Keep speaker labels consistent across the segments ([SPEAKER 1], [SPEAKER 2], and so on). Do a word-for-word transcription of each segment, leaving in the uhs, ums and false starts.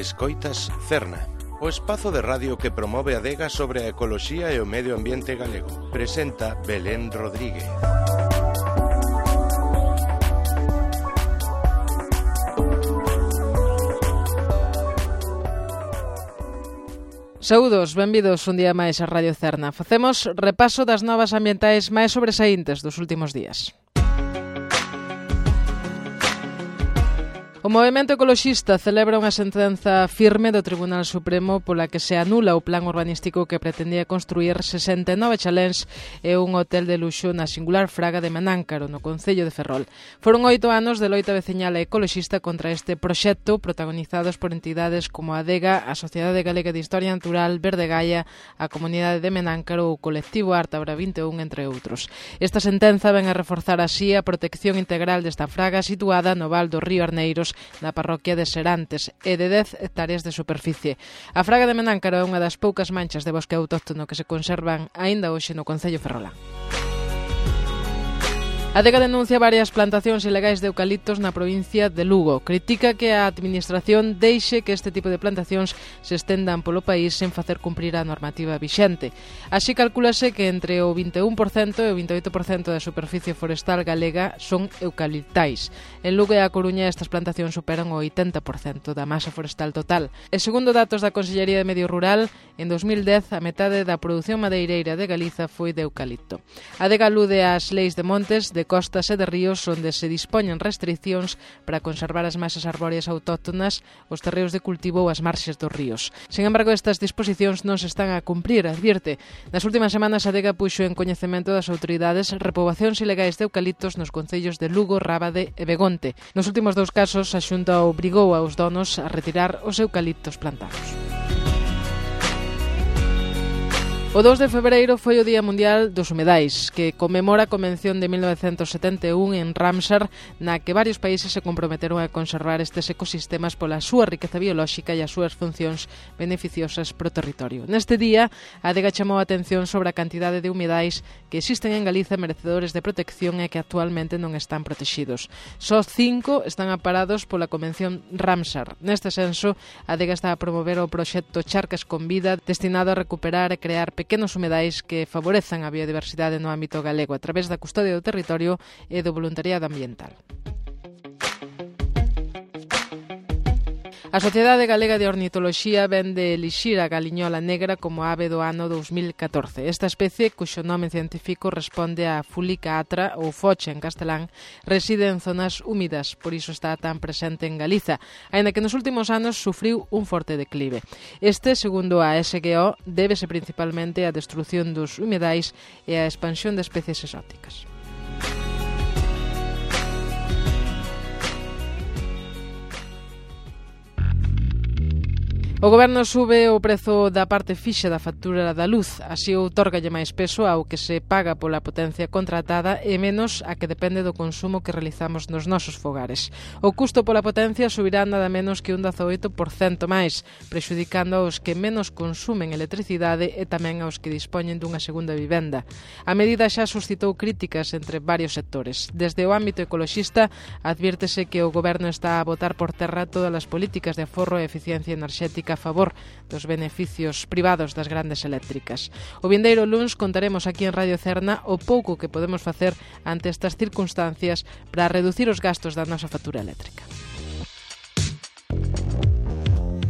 [SPEAKER 1] Escoitas Cerna, o espazo de radio que promove a adega sobre a ecoloxía e o medio ambiente galego. Presenta Belén Rodríguez.
[SPEAKER 2] Saúdos, benvidos un día máis a Radio Cerna. Facemos repaso das novas ambientais máis sobresaíntes dos últimos días. O Movemento Ecoloxista celebra unha sentenza firme do Tribunal Supremo pola que se anula o plan urbanístico que pretendía construir sesenta e nove chaléns e un hotel de luxo na singular fraga de Menáncaro, no concello de Ferrol. Foron oito anos de loita veciñal e ecoloxista contra este proxecto, protagonizados por entidades como a Adega, a Sociedade Galega de Historia Natural, Verde Gaia, a Comunidade de Menáncaro ou o colectivo Ártabra vinte e un, entre outros. Esta sentenza ven a reforzar así a protección integral desta fraga situada no val do río Arneiros, na parroquia de Serantes, e de dez hectáreas de superficie. A fraga de Menáncaro é unha das poucas manchas de bosque autóctono que se conservan aínda hoxe no concello ferrolán. A Adega denuncia varias plantacións ilegais de eucaliptos na provincia de Lugo. Critica que a administración deixe que este tipo de plantacións se estendan polo país sen facer cumprir a normativa vixente. Así calculase que entre o vinte e un por cento e o vinte e oito por cento da superficie forestal galega son eucaliptais. En Lugo e a Coruña estas plantacións superan o oitenta por cento da masa forestal total. E segundo datos da Consellería de Medio Rural, en dos mil dez a metade da produción madeireira de Galiza foi de eucalipto. A Adega alude ás leis de montes, de de costas e de ríos onde se dispoñen restricións para conservar as masas arbóreas autóctonas, os terreos de cultivo ou as marxes dos ríos. Sen embargo, estas disposicións non se están a cumprir, advirte. Nas últimas semanas, a Adega puxo en coñecemento das autoridades repoboacións ilegais de eucaliptos nos concellos de Lugo, Rábade e Begonte. Nos últimos dous casos, a Xunta obrigou aos donos a retirar os eucaliptos plantados. O dous de febreiro foi o Día Mundial dos Humedais, que conmemora a Convención de mil novecentos setenta e un en Ramsar, na que varios países se comprometeron a conservar estes ecosistemas pola súa riqueza biolóxica e as súas funcións beneficiosas pro territorio. Neste día, a Adega chamou a atención sobre a cantidade de humedais que existen en Galiza merecedores de protección e que actualmente non están protegidos. Só cinco están amparados pola Convención Ramsar. Neste senso, a Adega está a promover o proxecto Charcas con Vida, destinado a recuperar e crear pequenos humedais que favorezan a biodiversidade no ámbito galego a través da custodia do territorio e do voluntariado ambiental. A Sociedade Galega de Ornitoloxía ven de elixir a galiñola negra como ave do ano dous mil catorce. Esta especie, cuxo nome científico responde a Fulica atra ou focha en castelán, reside en zonas húmidas, por iso está tan presente en Galiza, aínda que nos últimos anos sufriu un forte declive. Este, segundo a S G O, débese principalmente á destrución dos humedais e á expansión de especies exóticas. O Goberno sube o prezo da parte fixa da factura da luz, así outorgalle máis peso ao que se paga pola potencia contratada e menos a que depende do consumo que realizamos nos nosos fogares. O custo pola potencia subirá nada menos que un dezaoito por cento máis, prexudicando aos que menos consumen electricidade e tamén aos que dispoñen dunha segunda vivenda. A medida xa suscitou críticas entre varios sectores. Desde o ámbito ecoloxista, advírtese que o Goberno está a botar por terra todas as políticas de aforro e eficiencia enerxética a favor dos beneficios privados das grandes eléctricas. O vindeiro luns contaremos aquí en Radio Cerna o pouco que podemos facer ante estas circunstancias para reducir os gastos da nosa factura eléctrica.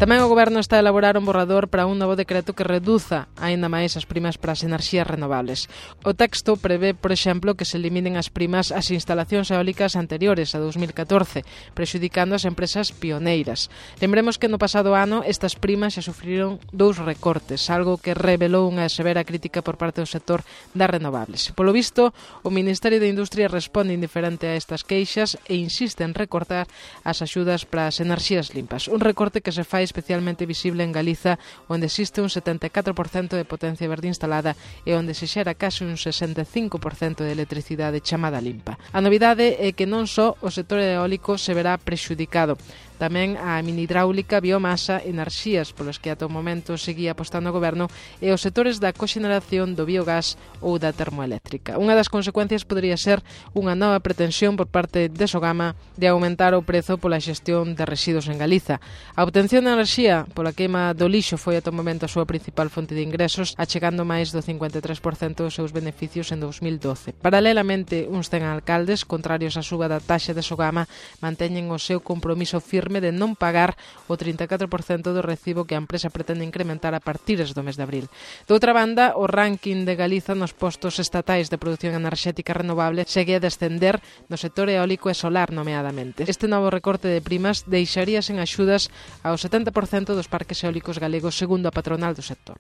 [SPEAKER 2] Tamén o Goberno está a elaborar un borrador para un novo decreto que reduza aínda máis as primas para as enerxías renovables. O texto prevé, por exemplo, que se eliminen as primas ás instalacións eólicas anteriores a dous mil catorce, prexudicando as empresas pioneiras. Lembremos que no pasado ano estas primas xa sufriron dous recortes, algo que revelou unha severa crítica por parte do sector das renovables. Polo visto, o Ministerio de Industria responde indiferente a estas queixas e insiste en recortar as axudas para as enerxías limpas. Un recorte que se fai especialmente visible en Galiza, onde existe un setenta e catro por cento de potencia verde instalada e onde se xera case un sesenta e cinco por cento de electricidade chamada limpa. A novidade é que non só o sector eólico se verá prexudicado, tamén a minihidráulica, biomasa, enerxías polos que ata o momento seguía apostando o Goberno e os sectores da coxeneración do biogás ou da termoeléctrica. Unha das consecuencias podería ser unha nova pretensión por parte de Sogama de aumentar o prezo pola xestión de residuos en Galiza. A obtención de enerxía pola queima do lixo foi ata o momento a súa principal fonte de ingresos, achegando máis do cincuenta e tres por cento dos seus beneficios en dous mil doce. Paralelamente, uns cen alcaldes, contrarios á suba da taxa de Sogama, manteñen o seu compromiso firme de non pagar o trinta e catro por cento do recibo que a empresa pretende incrementar a partir do mes de abril. Doutra banda, o ranking de Galiza nos postos estatais de produción enerxética renovable segue a descender no sector eólico e solar, nomeadamente. Este novo recorte de primas deixaría sen axudas ao setenta por cento dos parques eólicos galegos, segundo a patronal do sector.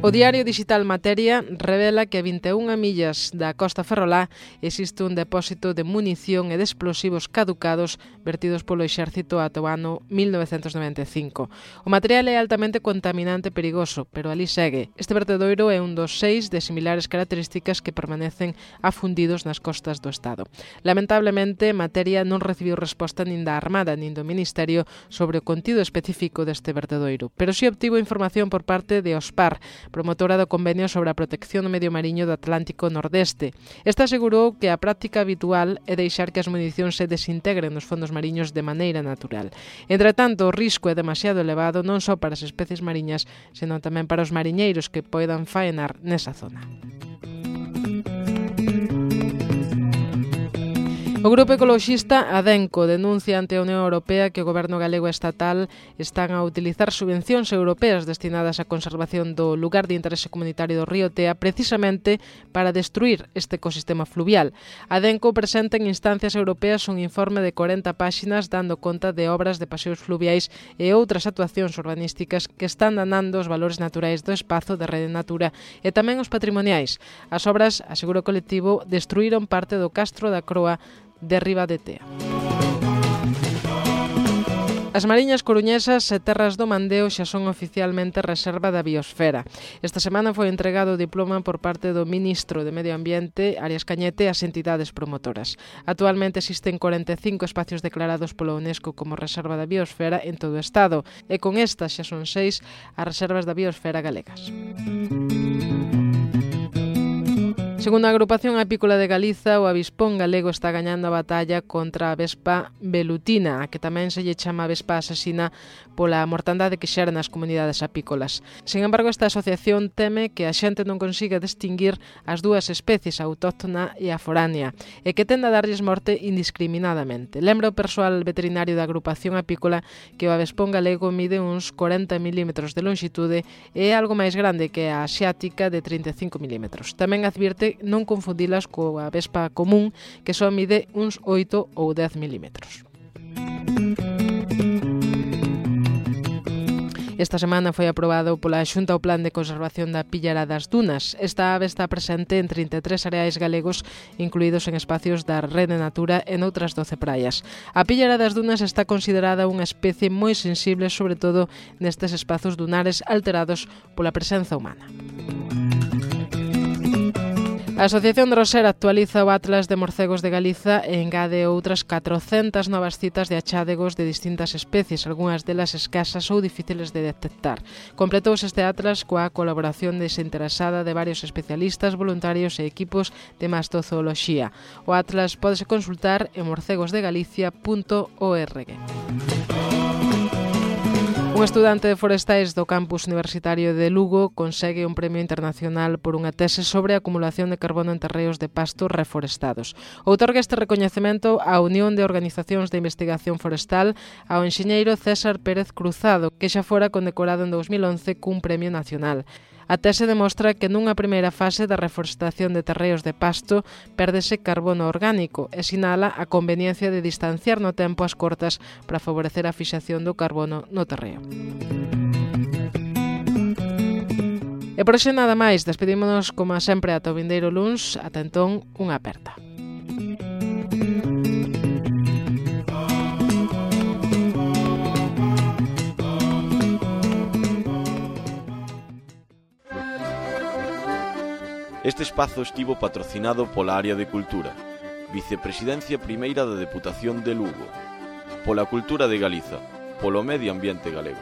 [SPEAKER 2] O diario digital Materia revela que a vinte e unha millas da costa ferrolá existe un depósito de munición e de explosivos caducados vertidos polo exército ata o ano mil novecentos noventa e cinco. O material é altamente contaminante e perigoso, pero ali segue. Este vertedoiro é un dos seis de similares características que permanecen afundidos nas costas do Estado. Lamentablemente, Materia non recibiu resposta nin da Armada nin do Ministerio sobre o contido específico deste vertedoiro, pero si obtivo información por parte de OSPAR, promotora do Convenio sobre a Protección do Medio Mariño do Atlántico Nordeste. Esta asegurou que a práctica habitual é deixar que as municións se desintegren nos fondos mariños de maneira natural. Entretanto, o risco é demasiado elevado non só para as especies mariñas, senón tamén para os mariñeiros que poidan faenar nesa zona. O grupo ecoloxista Adenco denuncia ante a Unión Europea que o goberno galego e estatal están a utilizar subvencións europeas destinadas á conservación do lugar de interese comunitario do río Tea precisamente para destruir este ecosistema fluvial. Adenco presenta en instancias europeas un informe de corenta páxinas dando conta de obras de paseos fluviais e outras actuacións urbanísticas que están danando os valores naturais do espazo de Rede Natura e tamén os patrimoniais. As obras, asegura o colectivo, destruíron parte do Castro da Croa de Riba de Tea. As mariñas coruñesas e terras do Mandeo xa son oficialmente reserva da biosfera. Esta semana foi entregado o diploma por parte do ministro de Medio Ambiente, Arias Cañete, ás entidades promotoras. Actualmente existen corenta e cinco espacios declarados pola UNESCO como reserva da biosfera en todo o Estado, e con estas xa son seis as reservas da biosfera galegas. Segundo a Agrupación Apícola de Galiza, o avispón galego está gañando a batalla contra a vespa velutina, a que tamén se lle chama vespa asesina pola mortandade que xera nas comunidades apícolas. Sin embargo, esta asociación teme que a xente non consiga distinguir as dúas especies, a autóctona e a foránea, e que tenda a darlles morte indiscriminadamente. Lembra o persoal veterinario da Agrupación Apícola que o avespón galego mide uns corenta milímetros de longitude e é algo máis grande que a asiática de trinta e cinco milímetros. Tamén advirte non confundilas coa vespa común, que só mide uns oito ou dez milímetros. Esta semana foi aprobado pola Xunta o Plan de Conservación da Píllara das Dunas. Esta ave está presente en trinta e tres areais galegos, incluídos en espacios da Rede Natura e noutras doce praias. A Píllara das Dunas está considerada unha especie moi sensible, sobre todo nestes espazos dunares alterados pola presenza humana. A Asociación de Rosera actualiza o Atlas de Morcegos de Galiza e engade outras catrocentas novas citas de achádegos de distintas especies, algunhas delas escasas ou difíciles de detectar. Completouse este Atlas coa colaboración desinteresada de varios especialistas, voluntarios e equipos de mastozooloxía. O Atlas pódese consultar en morcegos de galicia punto org. Un estudante de forestais do campus universitario de Lugo consegue un premio internacional por unha tese sobre a acumulación de carbono en terreos de pasto reforestados. Outorga este recoñecemento á Unión de Organizacións de Investigación Forestal ao enxeñeiro César Pérez Cruzado, que xa fora condecorado en dous mil once cun premio nacional. A tese demostra que nunha primeira fase da reforestación de terreos de pasto pérdese carbono orgánico e sinala a conveniencia de distanciar no tempo as cortas para favorecer a fixación do carbono no terreo. E por hoxe nada máis, despedímonos como sempre ata o vindeiro luns, ata entón unha aperta.
[SPEAKER 3] Este espazo estivo patrocinado pola Área de Cultura, Vicepresidencia Primeira da Deputación de Lugo, pola Cultura de Galiza, polo Medio Ambiente Galego.